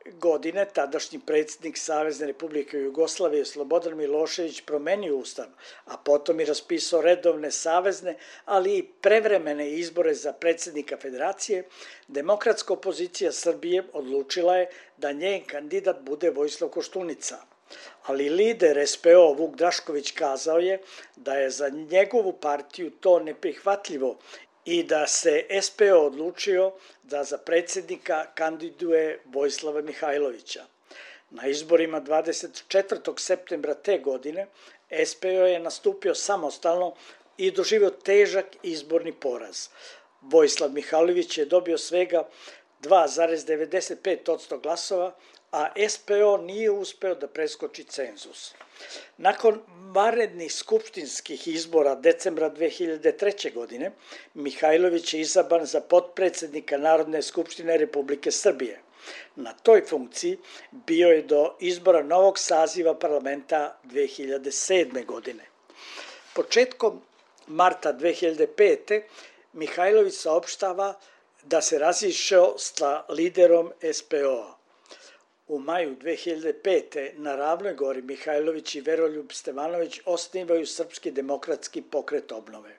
godine tadašnji predsjednik Savezne Republike Jugoslavije Slobodan Milošević promenio ustav, a potom i raspisao redovne savezne, ali i prevremene izbore za predsjednika federacije, demokratska opozicija Srbije odlučila je da njen kandidat bude Vojislav Koštunica. Ali lider SPO Vuk Drašković kazao je da je za njegovu partiju to neprihvatljivo i da se SPO odlučio da za predsjednika kandiduje Vojislava Mihajlovića. Na izborima 24. septembra te godine SPO je nastupio samostalno i doživio težak izborni poraz. Vojislav Mihajlović je dobio svega 2,95% glasova, a SPO nije uspeo da preskoči cenzus. Nakon vanrednih skupštinskih izbora decembra 2003. godine, Mihajlović je izabran za potpredsjednika Narodne skupštine Republike Srbije. Na toj funkciji bio je do izbora novog saziva parlamenta 2007. godine. Početkom marta 2005. Mihajlović saopštava da se razišao sa liderom SPO-a. U maju 2005. na Ravnoj gori Mihajlović i Veroljub Stevanović osnivaju Srpski demokratski pokret obnove.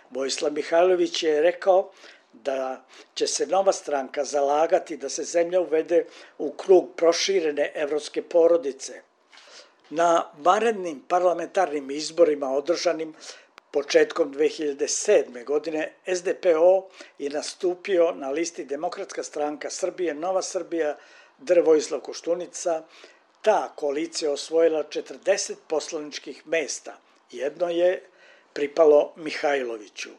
Vojislav Mihajlović je rekao da će se nova stranka zalagati da se zemlja uvede u krug proširene evropske porodice. Na vanrednim parlamentarnim izborima održanim početkom 2007. godine SDPO je nastupio na listi Demokratska stranka Srbije, Nova Srbija, Dr. Vojislav Koštunica. Ta koalicija osvojila 40 poslaničkih mesta. Jedno je pripalo Mihajloviću.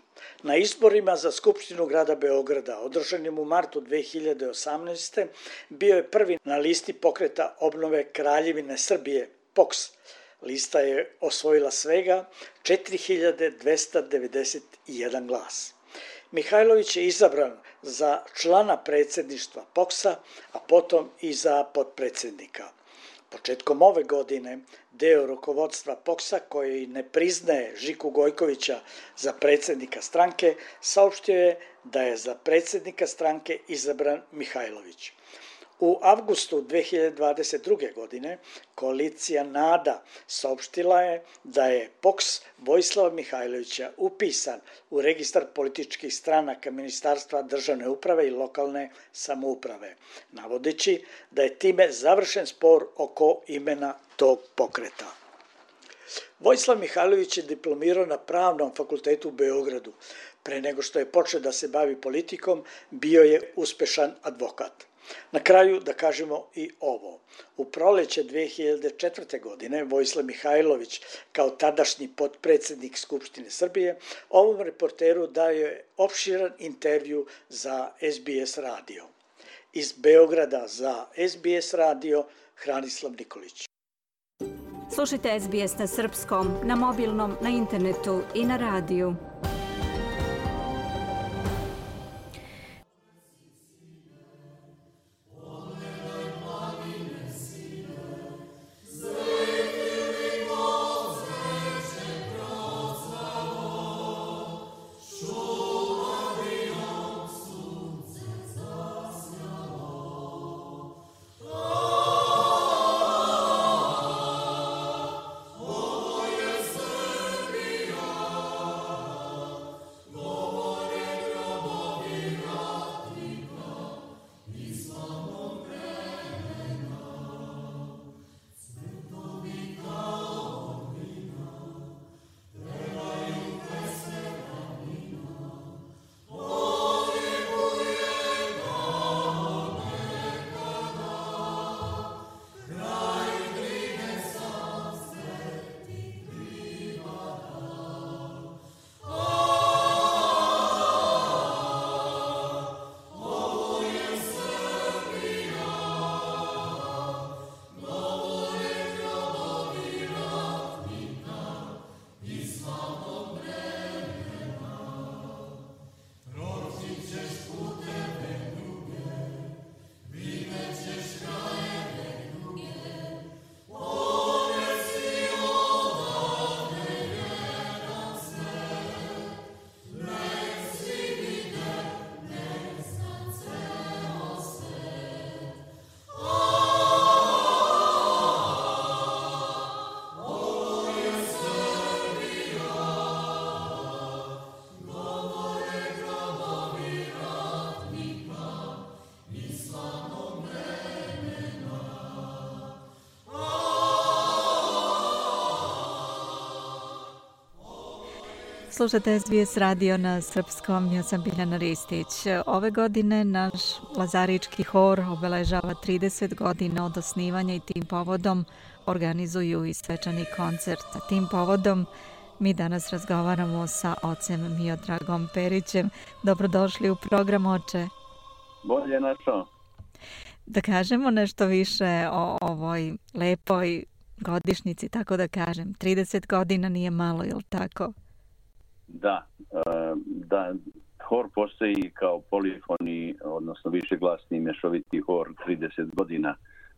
Na izborima za Skupštinu grada Beograda, održanim u martu 2018. bio je prvi na listi pokreta obnove Kraljevine Srbije, POKS. Lista je osvojila svega 4291 glas. Mihajlović je izabran za člana predsjedništva POKS-a, a potom i za potpredsjednika. Početkom ove godine deo rukovodstva POKS-a, koji ne priznaje Žiku Gojkovića za predsjednika stranke, saopštio je da je za predsjednika stranke izabran Mihajlović. U avgustu 2022. godine koalicija NADA saopštila je da je POKS Vojislava Mihajlovića upisan u registar političkih stranaka Ministarstva državne uprave i lokalne samouprave, navodeći da je time završen spor oko imena tog pokreta. Vojislav Mihajlović je diplomirao na Pravnom fakultetu u Beogradu. Pre nego što je počeo da se bavi politikom, bio je uspešan advokat. Na kraju da kažemo i ovo. U proleće 2004. godine Vojislav Mihajlović, kao tadašnji potpredsednik Skupštine Srbije, ovom reporteru dao je opširan intervju za SBS radio. Iz Beograda za SBS radio, Hranislav Nikolić. Slušajte SBS na srpskom, na mobilnom, na internetu i na radiju. Slušate SBS radio na srpskom, ja sam Biljana Ristić. Ove godine naš Lazarički hor obeležava 30 godina od osnivanja i tim povodom organizuju i svečani koncert. Tim povodom mi danas razgovaramo sa ocem Miodragom Perićem. Dobrodošli u program, oče. Bolje našao. Da kažemo nešto više o ovoj lepoj godišnjici, tako da kažem. 30 godina nije malo, je li tako? Da, hor postoji kao polifoni, odnosno višeglasni mješoviti hor 30 godina.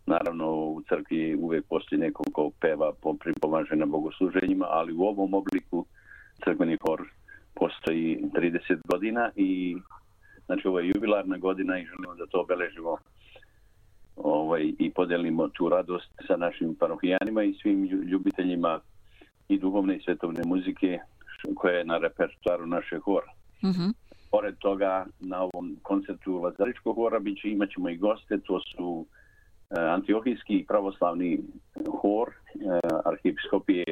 Naravno, u crkvi uvijek postoji neko ko peva, pripomaže na bogosluženjima, ali u ovom obliku crkveni hor postoji 30 godina i znači ovo je jubilarna godina i želimo da to obeležimo i podelimo tu radost sa našim parohijanima i svim ljubiteljima i duhovne i svetovne muzike koja je na repertoaru našeg hora. Mm-hmm. Pored toga, na ovom koncertu Lazaričkog hora imat ćemo i goste, to su Antiohijski pravoslavni hor, arhijepiskopije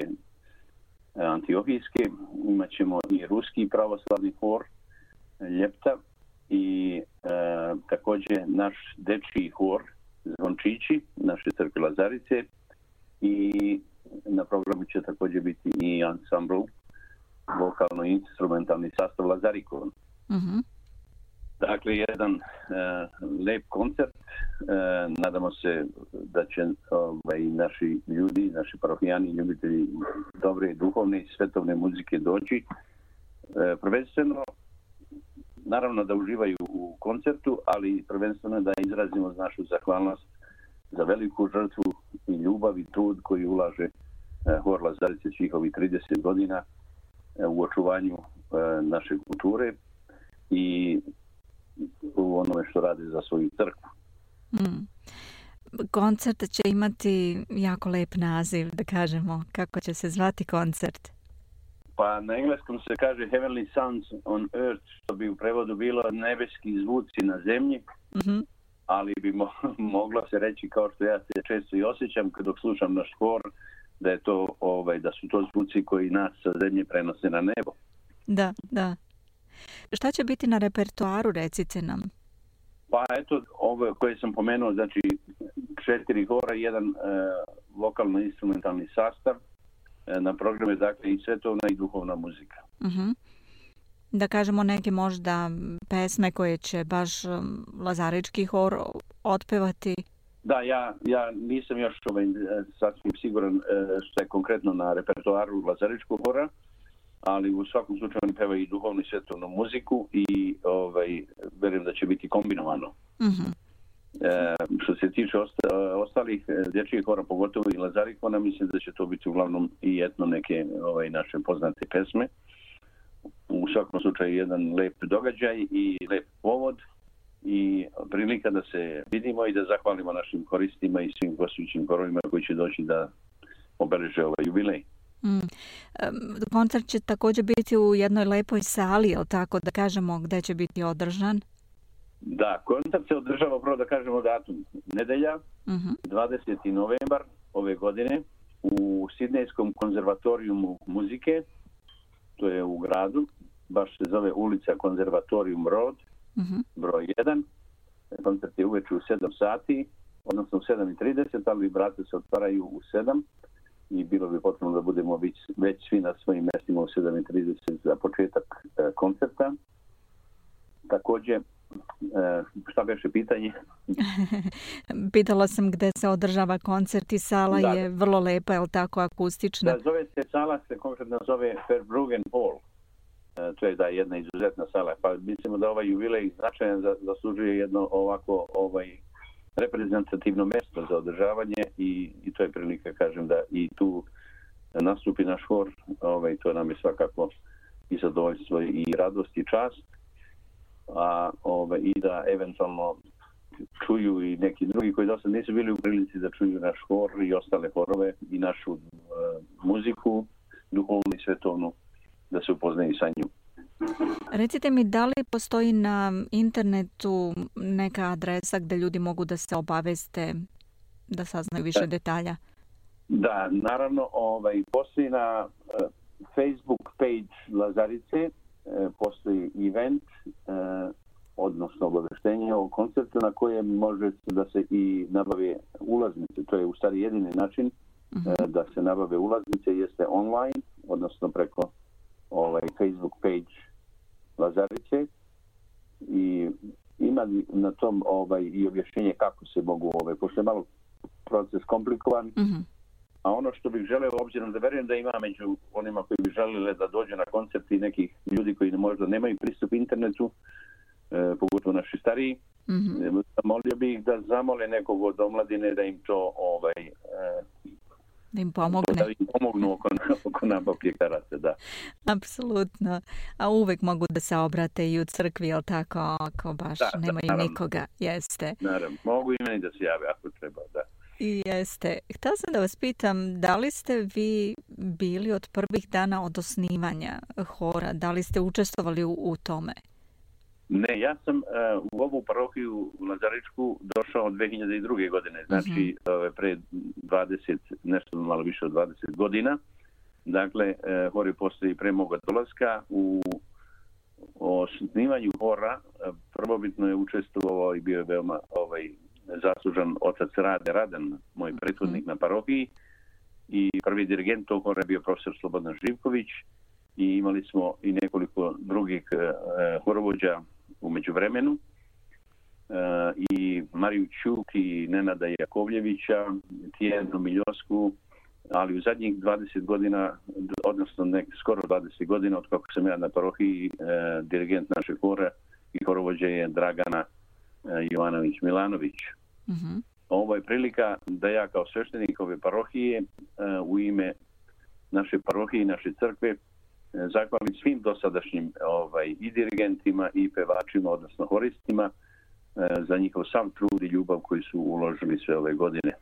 Antiohijske, imat ćemo i Ruski pravoslavni hor Ljepta i također naš dečiji hor Zvončići, naše crkve Lazarice, i na programu će također biti i ansambl vokalno-instrumentalni sastav Lazarikon. Mm-hmm. Dakle, jedan lep koncert. Nadamo se da će naši ljudi, naši parohijani, ljubitelji dobre, duhovne i svetovne muzike doći. Prvenstveno, naravno da uživaju u koncertu, ali prvenstveno da izrazimo našu zahvalnost za veliku žrtvu i ljubav i trud koji ulaže hor Lazarice svih ovih 30 godina u očuvanju naše kulture i u onome što rade za svoju crkvu. Koncert će imati jako lep naziv, da kažemo. Kako će se zvati koncert? Pa na engleskom se kaže Heavenly Sounds on Earth, što bi u prevodu bilo nebeski zvuci na zemlji, mm-hmm. ali bi moglo se reći, kao što ja se često i osjećam kad slušam naš hor, da je to da su to zvuci koji nas sa zemlje prenose na nebo. Da, da. Šta će biti na repertoaru, recite nam? Pa eto, ovo koje sam pomenuo, znači 4 hora, jedan vokalno-instrumentalni sastav. Na programu je dakle i svetovna i duhovna muzika. Da kažemo neke možda pesme koje će baš Lazarički hor otpevati? Da, ja nisam još sasvim siguran što je konkretno na repertoaru Lazaričkog hora, ali u svakom slučaju oni pevaju i duhovnu i svetovnu muziku i verujem da će biti kombinovano. Što se tiče ostalih dječjih hora, pogotovo i Lazarikona, mislim da će to biti uglavnom i etno neke naše poznate pesme. U svakom slučaju jedan lep događaj i lep povod i prilika da se vidimo i da zahvalimo našim koristima i svim gostujućim horovima koji će doći da obeleže ovaj jubilej. Koncert će također biti u jednoj lepoj sali, jel tako da kažemo gdje će biti održan? Da, koncert se održava, prvo da kažemo datum, nedelja, 20. novembar ove godine u Sidnejskom konzervatorijumu muzike, to je u gradu, baš se zove ulica Konzervatorium Road, broj 1. Koncert je uveče u 7 sati, odnosno u 7:30, ali vrata se otvaraju u 7 i bilo bi potrebno da budemo već svi na svojim mjestima u 7:30 za početak koncerta. Također, šta beše pitanje? Pitala sam gdje se održava koncert i sala je vrlo lepa, je li tako, akustična? Da, sala se konkretno zove Verbruggen Hall. To je jedna izuzetna sala. Pa mislimo da ovaj jubilej značajan zaslužuje jedno ovako reprezentativno mjesto za održavanje i to je prilika, kažem, da i tu nastupi naš hor. To nam je svakako i zadovoljstvo i radost i čast. I da eventualno čuju i neki drugi koji dosad nisu bili u prilici da čuju naš hor i ostale horove i našu muziku, duhovnu i svetovnu, da se upoznaju sa njim. Recite mi, da li postoji na internetu neka adresa gdje ljudi mogu da se obaveste, da saznaju više detalja? Da, naravno, postoji na Facebook page Lazarice, postoji event, odnosno obaveštenje o koncertu na kojem može da se i nabave ulaznice. To je u stvari jedini način da se nabave ulaznice, jeste online, odnosno preko Facebook page Lazarice i ima na tom i objašnjenje kako se mogu, pošto je malo proces komplikovan, a ono što bih želeo, obzirom da verujem da ima među onima koji bi želeli da dođu na koncert i nekih ljudi koji možda nemaju pristup internetu, pogotovo naši stariji, molio bih da zamole nekog od omladine da im to da im pomogne. Da im pomognu oko nabavke karata, da. Apsolutno. A uvek mogu da se obrate i u crkvi, jel tako, ako baš nemaju nikoga. Jeste. Naravno. Mogu i meni da se jave ako treba, da. Jeste. Htela sam da vas pitam, da li ste vi bili od prvih dana od osnivanja hora? Da li ste učestvovali u tome? Ne, ja sam u ovu parohiju Lazaričku došao od 2002. godine, znači pre 20, nešto malo više od 20 godina. Dakle, hor je postoji pre moga dolaska. U osnivanju hora prvobitno je učestvovao i bio je veoma zaslužan otac Rade Radan, moj prethodnik na parohiji, i prvi dirigent tog hora je bio profesor Slobodan Živković i imali smo i nekoliko drugih horovođa u međuvremenu, i Mariju Ćuk i Nenada Jakovljevića, Tijenu Miljosku, ali u zadnjih 20 godina, odnosno skoro 20 godina od kako sam ja na parohiji, dirigent našeg hora i horovođa je Dragana Jovanović-Milanović. Ovo je prilika da ja kao sveštenik ove parohije u ime naše parohije i naše crkve zahvalim svim dosadašnjim i dirigentima i pevačima, odnosno horistima, za njihov sav trud i ljubav koji su uložili sve ove godine.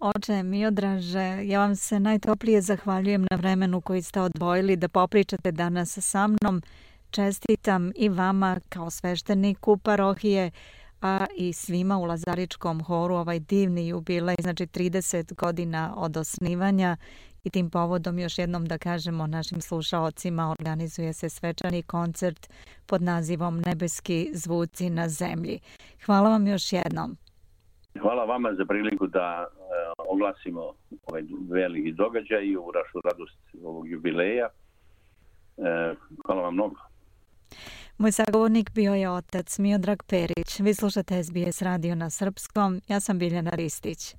Oče Miodraže, ja vam se najtoplije zahvaljujem na vremenu koji ste odvojili da popričate danas sa mnom. Čestitam i vama kao svešteniku parohije, a i svima u Lazaričkom horu ovaj divni jubilej, znači 30 godina od osnivanja, I tim povodom još jednom da kažemo našim slušaocima, organizuje se svečani koncert pod nazivom Nebeski zvuci na zemlji. Hvala vam još jednom. Hvala vama za priliku da oglasimo ovaj veliki događaj i ovu našu radost ovog jubileja. Hvala vam mnogo. Moj sagovornik bio je otac Miodrag Perić. Vi slušate SBS radio na srpskom. Ja sam Biljana Ristić.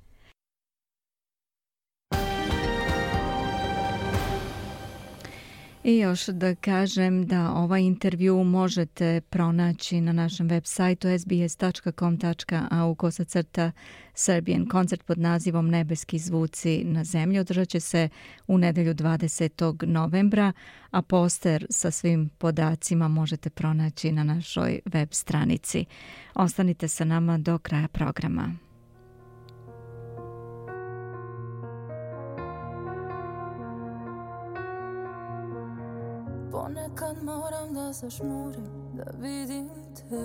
I još da kažem da ovaj intervju možete pronaći na našem web sajtu sbs.com.au/Serbian. Koncert pod nazivom Nebeski zvuci na zemlji održat će se u nedelju 20. novembra, a poster sa svim podacima možete pronaći na našoj web stranici. Ostanite sa nama do kraja programa. Ponekad moram da zažmurim, da vidim te,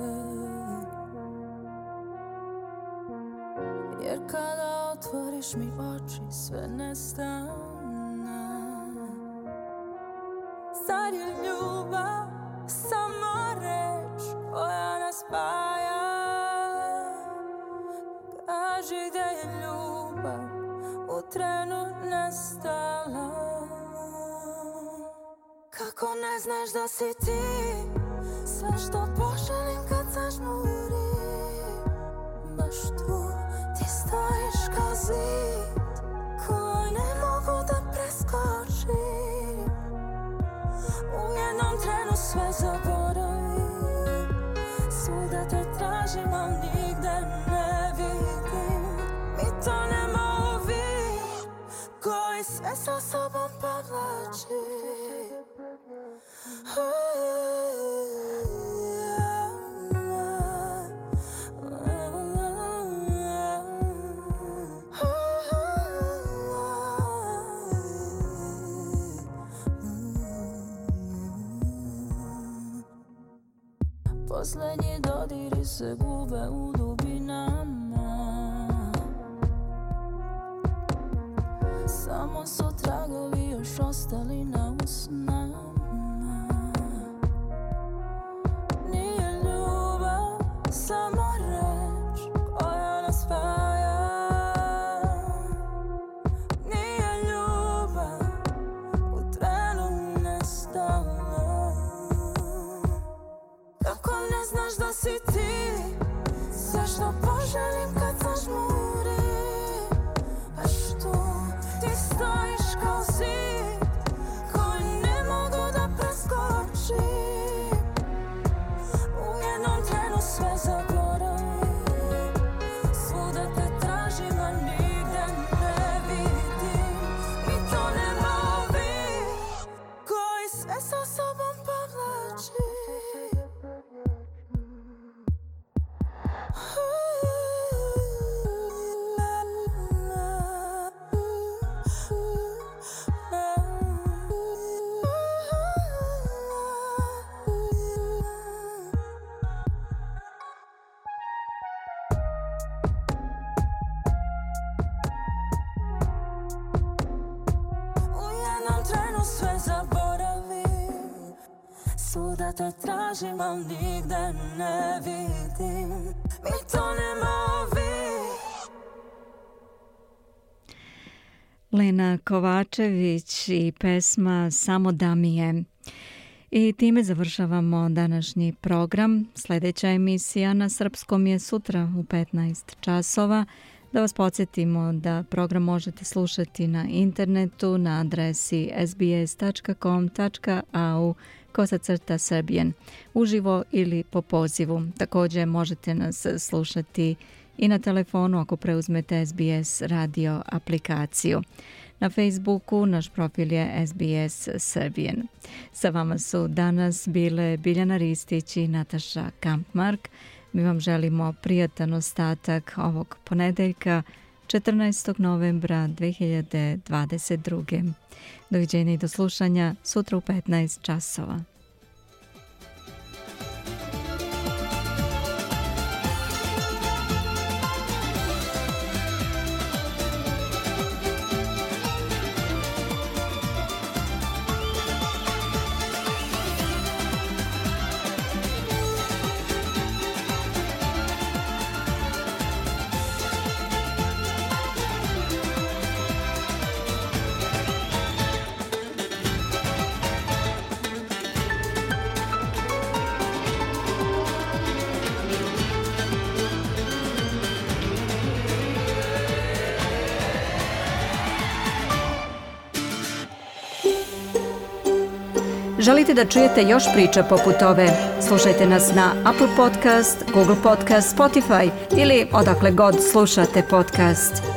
jer kada otvoriš mi oči sve nestane. Zar je ljubav samo reč koja nas spaja? Kaži gde je ljubav u trenu nestala. Kako ne znaš da si ti sve što poželim kad zažmurim. Baš tu ti stojiš kao zid koji ne mogu da preskočim. U jednom trenu sve zaboravim, svuda te tražim, al nigde ne vidim. Mi tonemo u vid koji sve sa sobom povlači. Poslednji dodiri se gube u dubinama. Samo su tragovi još ostali na usnama. Nije ljubav samo reč koja nas spaja. Nije ljubav u trenu nestala. Kako ne znaš da si ti sve što poželim kad zažmurim. Baš tu ti stojiš kao zid koji ne mogu da preskočim. U jednom trenu sve zaboravim, svuda te tražim, a nigde ne vidim. Mi tonemo u vid koji sve sa sobom povlači. Svuda te tražim, al nigde ne vidim. Mi tonemo u vid. Lena Kovačević i pesma Samo da mi je. I time završavamo današnji program. Sljedeća emisija na srpskom je sutra u 15 časova. Da vas podsjetimo da program možete slušati na internetu na adresi sbs.com.au/Serbian uživo ili po pozivu. Također možete nas slušati i na telefonu ako preuzmete SBS radio aplikaciju. Na Facebooku naš profil je SBS Serbian. Sa vama su danas bile Biljana Ristić i Nataša Kampmark. Mi vam želimo prijatan ostatak ovog ponedeljka 14. novembra 2022. Doviđenja i do slušanja sutra u 15 časova. Želite da čujete još priča poput ove? Slušajte nas na Apple Podcast, Google Podcast, Spotify ili odakle god slušate podcast.